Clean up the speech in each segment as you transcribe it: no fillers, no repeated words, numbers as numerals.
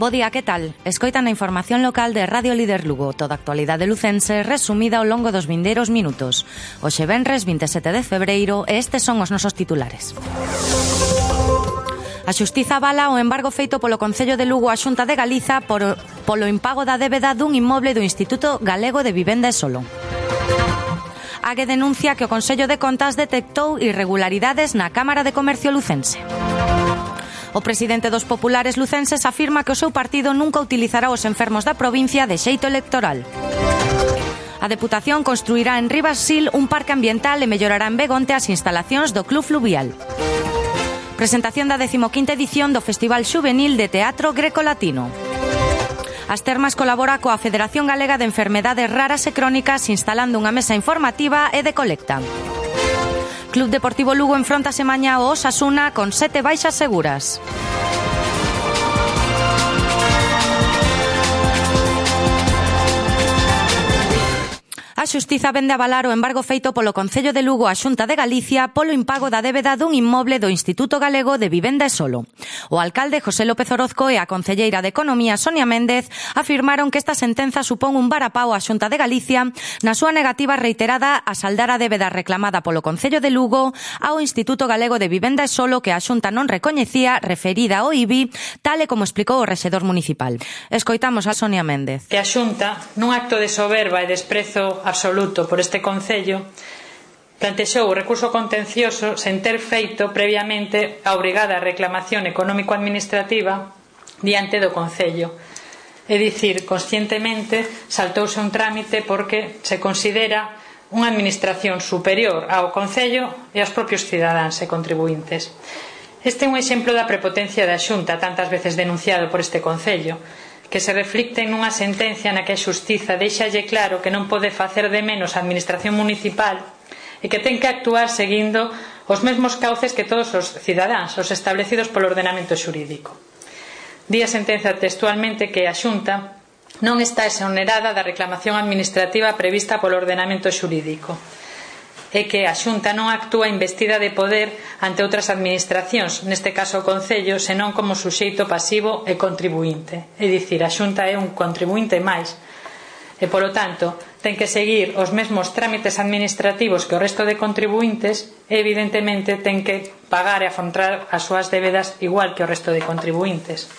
Bo día, que tal? Escoitan a información local de Radio Líder Lugo, toda a actualidade lucense resumida ao longo dos vindeiros minutos. Hoxe venres 27 de febreiro e estes son os nosos titulares. A Xustiza avala o embargo feito polo Concello de Lugo á Xunta de Galiza polo impago da débeda dun inmoble do Instituto Galego de Vivenda e Solo. AGE denuncia que o Consello de Contas detectou irregularidades na Cámara de Comercio lucense. O presidente dos populares lucenses afirma que o seu partido nunca utilizará os enfermos da provincia de xeito electoral. A Deputación construirá en Ribassil un parque ambiental e mellorará en Begonte as instalacións do Club Fluvial. Presentación da 15ª edición do Festival Xuvenil de Teatro Greco-Latino. As Termas colabora coa Federación Galega de Enfermedades Raras e Crónicas instalando unha mesa informativa e de colecta. Club Deportivo Lugo enfrontase mañá ao Osasuna con 7 baixas seguras. A Xustiza vende avalar o embargo feito polo Concello de Lugo á Xunta de Galicia polo impago da débeda dun inmoble do Instituto Galego de Vivenda e Solo. O alcalde José López Orozco e a concelleira de Economía Sonia Méndez afirmaron que esta sentenza supón un varapao á Xunta de Galicia na súa negativa reiterada a saldar a débeda reclamada polo Concello de Lugo ao Instituto Galego de Vivenda e Solo que a Xunta non recoñecía referida ao IBI, tal e como explicou o rexedor municipal. Escoitamos a Sonia Méndez. Que a Xunta, nun acto de soberba e desprezo absoluto por este Concello, plantexou o recurso contencioso sen ter feito previamente a obrigada reclamación económico-administrativa diante do Concello. É dicir, conscientemente saltouse un trámite porque se considera unha administración superior ao Concello e aos propios cidadáns e contribuintes. Este é un exemplo da prepotencia da Xunta, tantas veces denunciado por este Concello, que se reflicte nunha sentencia na que a Xustiza deixalle claro que non pode facer de menos a administración municipal e que ten que actuar seguindo os mesmos cauces que todos os cidadáns, os establecidos polo ordenamento xurídico. Di a sentenza textualmente que a Xunta non está exonerada da reclamación administrativa prevista polo ordenamento xurídico e que a Xunta non actúa investida de poder ante outras administracións, neste caso o Concello, senón como suxeito pasivo e contribuinte. É dicir, a Xunta é un contribuinte máis e, polo tanto, ten que seguir os mesmos trámites administrativos que o resto de contribuintes e, evidentemente, ten que pagar e afrontar as súas débedas igual que o resto de contribuintes.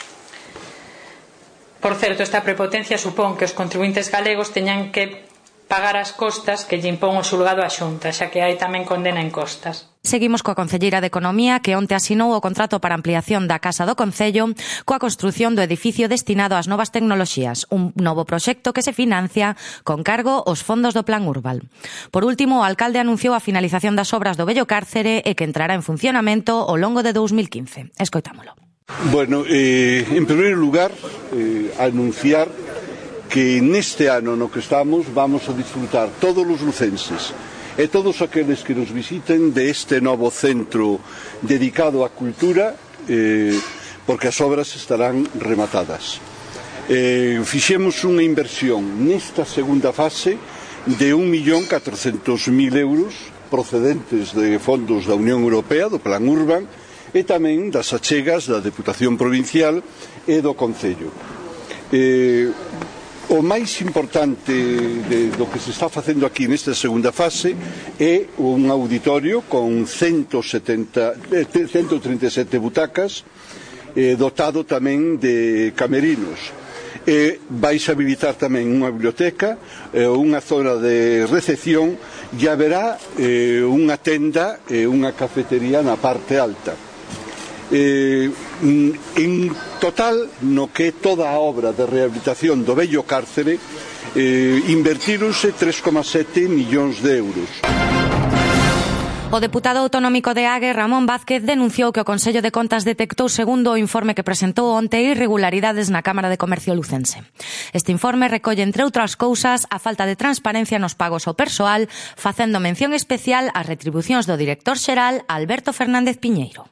Por certo, esta prepotencia supón que os contribuintes galegos teñan que pagar as costas que lle impón o xulgado á Xunta, xa que hai tamén condena en costas. Seguimos coa concelleira de Economía que onte asinou o contrato para ampliación da Casa do Concello coa construción do edificio destinado ás novas tecnoloxías, un novo proxecto que se financia con cargo aos fondos do Plan Urbal. Por último, o alcalde anunciou a finalización das obras do vello cárcere e que entrará en funcionamento ao longo de 2015. Escoitámolo. Bueno, en primeiro lugar, anunciar que neste ano no que estamos vamos a disfrutar todos os lucenses e todos aqueles que nos visiten deste novo centro dedicado á cultura, porque as obras estarán rematadas. Fixemos unha inversión nesta segunda fase de 1.400.000 euros procedentes de fondos da Unión Europea, do Plan Urban, e tamén das achegas da Deputación Provincial e do Concello. O máis importante do que se está facendo aquí nesta segunda fase é un auditorio con 137 butacas, dotado tamén de camerinos. Vais habilitar tamén unha biblioteca, unha zona de recepción e haberá unha tenda e unha cafetería na parte alta. En total, no que é toda a obra de rehabilitación do vello cárcere, invertíronse 3,7 millóns de euros. O deputado autonómico de AGE, Ramón Vázquez, denunciou que o Consello de Contas detectou, segundo o informe que presentou onte, irregularidades na Cámara de Comercio lucense. Este informe recolle, entre outras cousas, a falta de transparencia nos pagos ao persoal, facendo mención especial ás retribucións do director xeral, Alberto Fernández Piñeiro.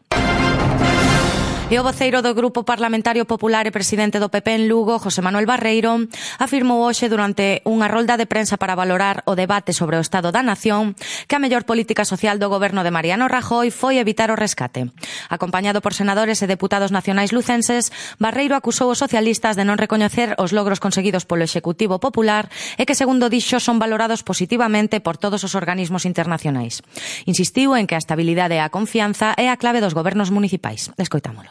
E o voceiro do Grupo Parlamentario Popular e presidente do PP en Lugo, José Manuel Barreiro, afirmou hoxe durante unha rolda de prensa para valorar o debate sobre o Estado da Nación que a mellor política social do goberno de Mariano Rajoy foi evitar o rescate. Acompañado por senadores e deputados nacionais lucenses, Barreiro acusou os socialistas de non recoñecer os logros conseguidos polo Executivo Popular e que, segundo dixo, son valorados positivamente por todos os organismos internacionais. Insistiu en que a estabilidade e a confianza é a clave dos gobernos municipais. Escoitámolo.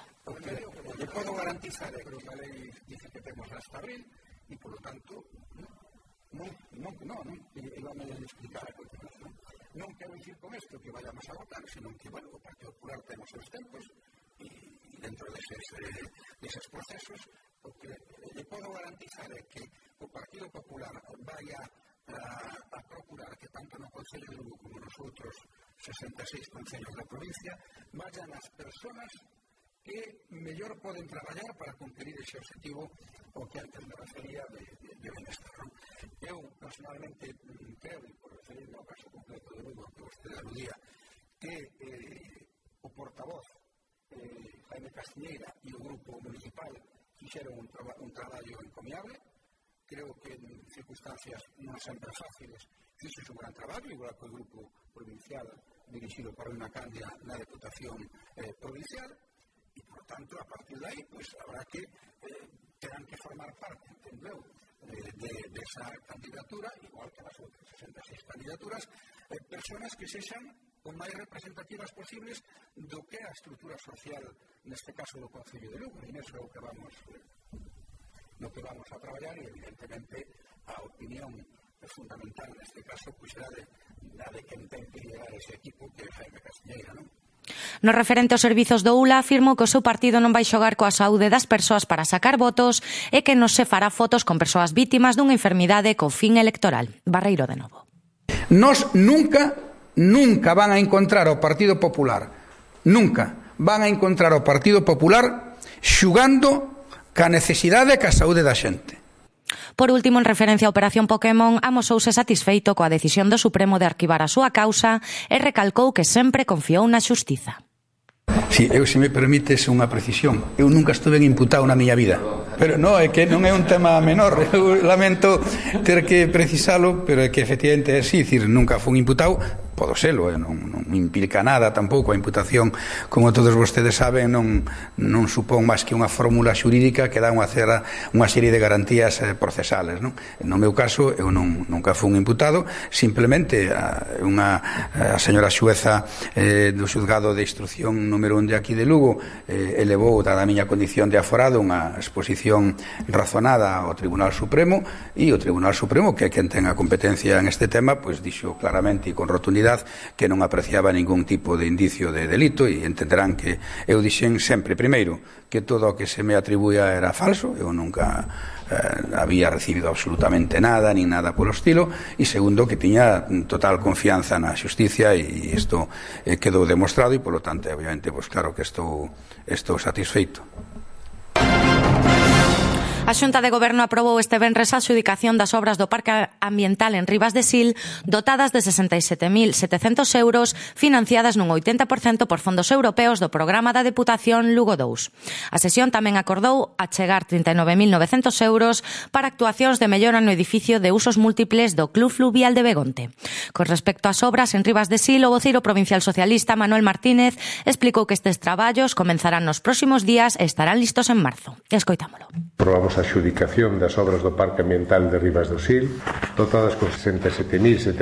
Le puedo garantizar que a lei dice que temos hasta abril e, por lo tanto, vamos a explicar a continuación. Non quero dicir con isto que vayamos a votar, sino que, bueno, o Partido Popular temos os tempos e dentro deses procesos, o que le puedo garantizar é que o Partido Popular vaya a procurar que tanto no Concello de Lugo como nos outros 66 concellos da provincia vayan as personas que mellor poden traballar para cumprir ese objetivo o que antes me refería de benestar. Eu, personalmente, creo, e por referirme ao caso concreto de Lugo que vostede aludía, que o portavoz Jaime Castiñeira e o grupo municipal fixeron un traballo encomiable. Creo que en circunstancias non sempre fáciles fixo un gran traballo, igual que o grupo provincial dirigido por unha Candia na Deputación Provincial. E, por tanto, a partir de aí, pues, habrá que terán que formar parte, entendeu, de esa candidatura, igual que las outras 66 candidaturas, personas que sexan o máis representativas posibles do que é a estrutura social, neste caso do Concello de Lugo, e neso é o que vamos a traballar, e evidentemente a opinión fundamental neste caso pues será la de quen ten que liderar ese equipo, que é Jaime Castiñeira, non? No referente aos servizos do ULA, afirmou que o seu partido non vai xogar coa saúde das persoas para sacar votos e que non se fará fotos con persoas vítimas dunha enfermidade co fin electoral. Barreiro de novo. Nos nunca van a encontrar ao Partido Popular, nunca van a encontrar ao Partido Popular xugando ca necesidade e ca saúde da xente. Por último, en referencia á Operación Pokémon, amosouse satisfeito coa decisión do Supremo de arquivar a súa causa e recalcou que sempre confiou na xustiza. Si, se me permites unha precisión, eu nunca estuve imputado na miña vida. Pero non, é que non é un tema menor. Eu lamento ter que precisalo, pero é que efectivamente é así, dicir, nunca fui imputado. Podo selo, non implica nada tampouco a imputación, como todos vostedes saben, non supón máis que unha fórmula xurídica que dá unha serie de garantías procesales, non? No meu caso, eu nunca fui imputado, simplemente a señora xueza do xuzgado de instrucción número 1 de aquí de Lugo elevou, dada a miña condición de aforado, unha exposición razonada ao Tribunal Supremo, e o Tribunal Supremo, que é quen ten a competencia en este tema, pois dixo claramente e con rotundidade que non apreciaba ningún tipo de indicio de delito, e entenderán que eu dixen sempre, primeiro, que todo o que se me atribuía era falso, eu nunca había recibido absolutamente nada, ni nada polo estilo, e segundo, que tiña total confianza na xusticia, e isto quedou demostrado, e polo tanto, obviamente, pues claro que estou satisfeito. A Xunta de Goberno aprobou este venres a adxudicación das obras do Parque Ambiental en Ribas de Sil, dotadas de 67.700 euros, financiadas nun 80% por fondos europeos do programa da Deputación Lugo 2. A sesión tamén acordou achegar 39.900 euros para actuacións de mellora no edificio de usos múltiples do Club Fluvial de Begonte. Con respecto ás obras en Ribas de Sil, o voceiro provincial socialista Manuel Martínez explicou que estes traballos comenzarán nos próximos días e estarán listos en marzo. Escoitámolo. Aprobamos a adxudicación das obras do Parque Ambiental de Ribas do Sil, dotadas con 67.700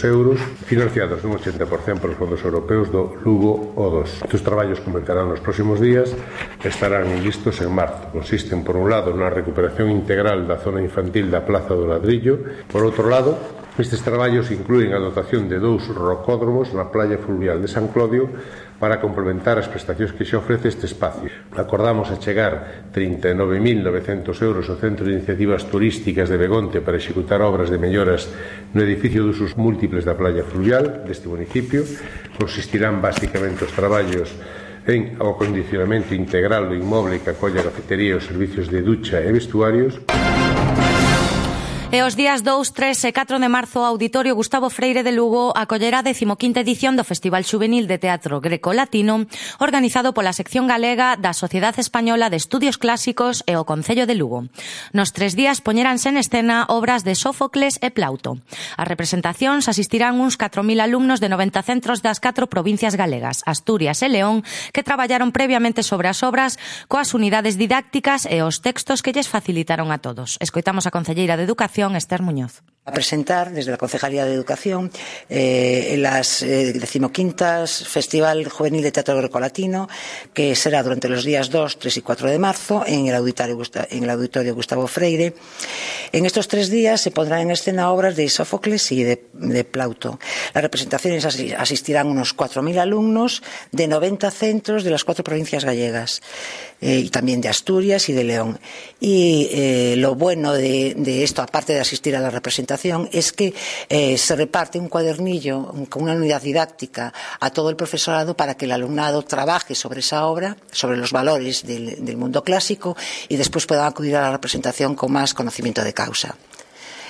euros, financiados nun 80% por os fondos europeos do Lugo O2. Estes traballos comenzarán nos próximos días e estarán listos en marzo. Consisten, por un lado, na recuperación integral da zona infantil da Plaza do Ladrillo. Por outro lado, estes traballos inclúen a dotación de 2 rocódromos na playa fluvial de San Clodio para complementar as prestacións que xe ofrece este espacio. Acordamos achegar 39.900 euros ao Centro de Iniciativas Turísticas de Begonte para executar obras de melloras no edificio de usos múltiples da playa fluvial deste municipio. Consistirán basicamente os traballos en o acondicionamento integral do inmoble que acolla a cafetería e os servicios de ducha e vestuarios. E os días 2, 3 e 4 de marzo o Auditorio Gustavo Freire de Lugo acollerá a 15ª edición do Festival Xuvenil de Teatro Greco-Latino organizado pola sección galega da Sociedade Española de Estudios Clásicos e o Concello de Lugo. Nos 3 días poñeranse en escena obras de Sófocles e Plauto. As representacións asistirán uns 4.000 alumnos de 90 centros das 4 provincias galegas, Asturias e León, que traballaron previamente sobre as obras coas unidades didácticas e os textos que lles facilitaron a todos. Escoitamos a concelleira de Educación, Esther Muñoz. A presentar desde la Concejalía de Educación las 15º Festival Juvenil de Teatro Grecolatino, que será durante los días 2, 3 y 4 de marzo en el Auditorio Gustavo Freire. En estos 3 días se pondrán en escena obras de Sófocles y de Plauto. Las representaciones asistirán unos 4.000 alumnos de 90 centros de las 4 provincias gallegas y también de Asturias y de León. Y lo bueno de esto, aparte de asistir a la representación, es que se reparte un cuadernillo con una unidad didáctica a todo el profesorado para que el alumnado trabaje sobre esa obra, sobre los valores del mundo clásico y después puedan acudir a la representación con más conocimiento de causa.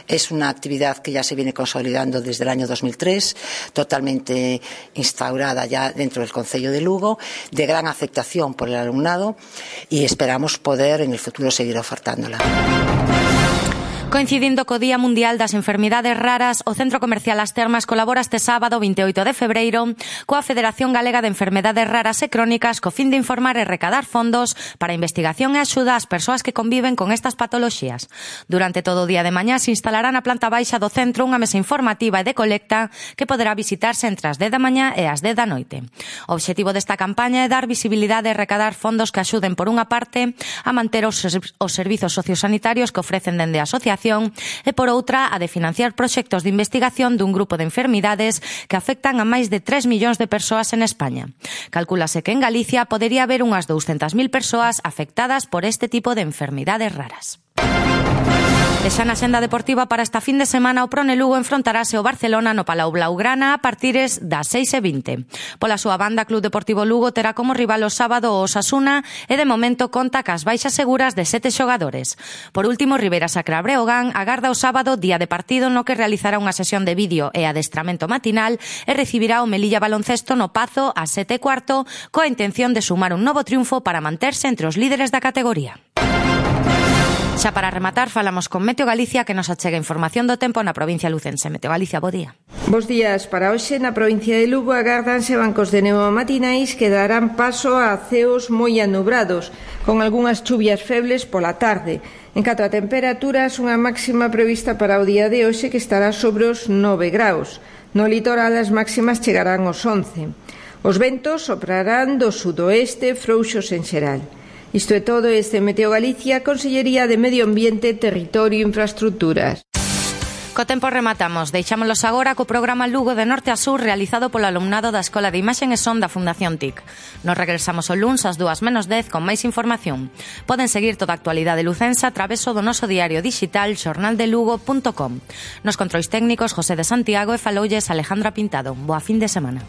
Es una actividad que ya se viene consolidando desde el año 2003, totalmente instaurada ya dentro del Concello de Lugo, de gran aceptación por el alumnado y esperamos poder en el futuro seguir ofertándola. Coincidindo co Día Mundial das Enfermidades Raras, o Centro Comercial As Termas colabora este sábado 28 de febreiro coa Federación Galega de Enfermedades Raras e Crónicas co fin de informar e recadar fondos para investigación e axuda ás persoas que conviven con estas patoloxías. Durante todo o día de mañá se instalará na planta baixa do centro unha mesa informativa e de colecta que poderá visitarse entre as 10 da mañá e as 10 da noite. O obxectivo desta campaña é dar visibilidade e recadar fondos que axuden por unha parte a manter os servizos sociosanitarios que ofrecen dende a asociación e por outra a de financiar proxectos de investigación dun grupo de enfermidades que afectan a máis de 3 millóns de persoas en España. Calcúlase que en Galicia podería haber unhas 200.000 persoas afectadas por este tipo de enfermidades raras. E xa na senda deportiva para esta fin de semana o Prone Lugo enfrontarase o Barcelona no Palau Blaugrana a partires das 6:20. Pola súa banda, Club Deportivo Lugo terá como rival o sábado o Osasuna e de momento conta cas baixas seguras de 7 xogadores. Por último, Ribera Sacra Breogán agarda o sábado día de partido no que realizará unha sesión de vídeo e adestramento matinal e recibirá o Melilla Baloncesto no Pazo a 7:15 coa intención de sumar un novo triunfo para manterse entre os líderes da categoría. Xa para rematar, falamos con Meteo Galicia que nos achega información do tempo na provincia lucense. Meteo Galicia, bo día. Bos días. Para hoxe na provincia de Lugo agárdanse bancos de neo matinais que darán paso a ceos moi anubrados, con algunhas chuvias febles pola tarde. En canto a temperaturas, unha máxima prevista para o día de hoxe que estará sobre os 9 graus. No litoral as máximas chegarán aos 11. Os ventos soprarán do sudoeste frouxos en xeral. Isto é todo este Meteo Galicia, Consellería de Medio Ambiente, Territorio e Infraestructuras. Co tempo rematamos. Deixámolos agora co programa Lugo de Norte a Sur realizado polo alumnado da Escola de Imaxe e Son da Fundación TIC. Nos regresamos o luns ás 2:10 con máis información. Poden seguir toda a actualidade lucense a traveso do noso diario digital xornaldelugo.com. Nos controis técnicos José de Santiago e faloulles Alejandra Pintado. Boa fin de semana.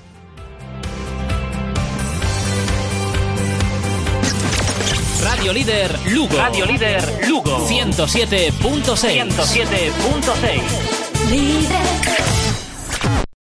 Radio Líder Lugo. Radio Líder Lugo. 107.6. 107.6. Líder.